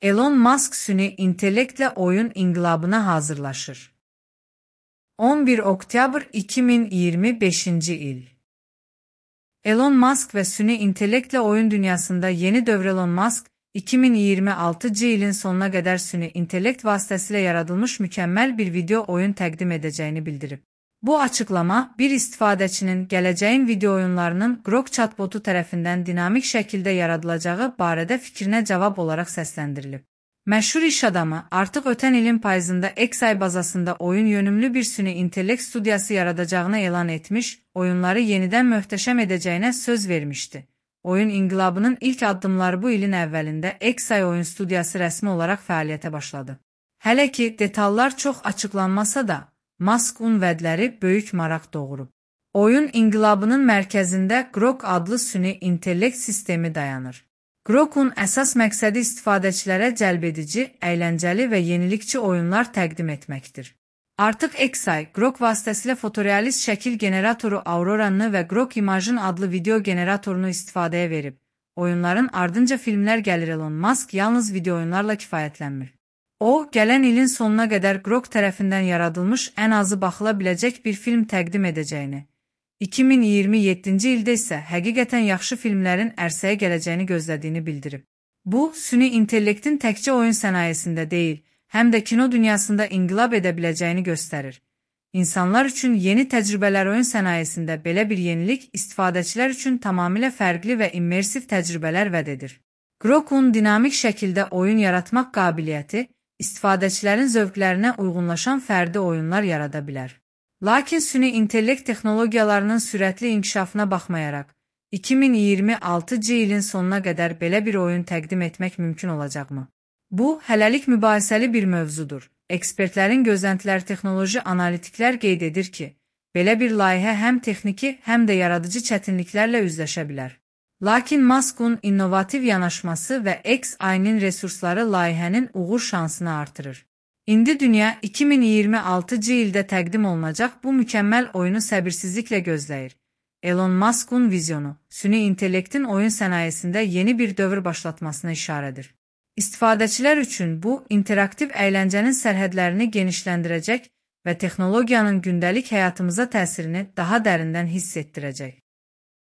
Elon Musk süni intellektlə oyun inqilabına hazırlaşır. 11 oktyabr 2025-ci il. Elon Musk və süni intellektlə oyun dünyasında yeni dövr. Elon Musk, 2026-cı ilin sonuna qədər süni intellekt vasitəsilə yaradılmış mükəmməl bir video oyun təqdim edəcəyini bildirib. Bu açıqlama, bir istifadəçinin gələcəyin video oyunlarının Grok chatbotu tərəfindən dinamik şəkildə yaradılacağı barədə fikrinə cavab olaraq səsləndirilib. Məşhur iş adamı artıq ötən ilin payızında XAI bazasında oyun yönümlü bir süni intellekt studiyası yaradacağını elan etmiş, oyunları yenidən möhtəşəm edəcəyinə söz vermişdi. Oyun inqilabının ilk addımları bu ilin əvvəlində XAI oyun studiyası rəsmi olaraq fəaliyyətə başladı. Hələ ki, detallar çox açıqlanmasa da, Musk'un vədləri böyük maraq doğurub. Oyun inqilabının mərkəzində Grok adlı süni intellekt sistemi dayanır. Grok'un əsas məqsədi istifadəçilərə cəlbedici, əyləncəli və yenilikçi oyunlar təqdim etməkdir. Artıq XAI, Grok vasitəsilə fotorealist şəkil generatoru Aurora'nı və Grok Imagine adlı video generatorunu istifadəyə verib. Oyunların ardınca filmlər gəlir. Elon Musk yalnız video oyunlarla kifayətlənmir. O, gələn ilin sonuna qədər Grok tərəfindən yaradılmış ən azı baxıla biləcək bir film təqdim edəcəyini, 2027-ci ildə isə həqiqətən yaxşı filmlərin ərsəyə gələcəyini gözlədiyini bildirib. Bu, süni intellektin təkcə oyun sənayesində deyil, həm də kino dünyasında inqilab edə biləcəyini göstərir. İnsanlar üçün yeni təcrübələr oyun sənayesində belə bir yenilik istifadəçilər üçün tamamilə fərqli və immersiv təcrübələr vəd edir. Grok'un dinamik şəkildə oyun yaratmaq qabiliyyəti, istifadəçilərin zövqlərinə uyğunlaşan fərdi oyunlar yarada bilər. Lakin süni intellekt texnologiyalarının sürətli inkişafına baxmayaraq, 2026-cı ilin sonuna qədər belə bir oyun təqdim etmək mümkün olacaqmı? Bu, hələlik mübahisəli bir mövzudur. Ekspertlərin gözləntiləri texnoloji analitiklər qeyd edir ki, belə bir layihə həm texniki, həm də yaradıcı çətinliklərlə üzləşə bilər. Lakin Musk'un innovativ yanaşması və XAI'nin resursları layihənin uğur şansını artırır. İndi dünya 2026-cı ildə təqdim olunacaq bu mükəmməl oyunu səbirsizliklə gözləyir. Elon Musk'un vizyonu, süni intellektin oyun sənayesində yeni bir dövr başlatmasına işarədir. İstifadəçilər üçün bu, interaktiv əyləncənin sərhədlərini genişləndirəcək və texnologiyanın gündəlik həyatımıza təsirini daha dərindən hiss etdirəcək.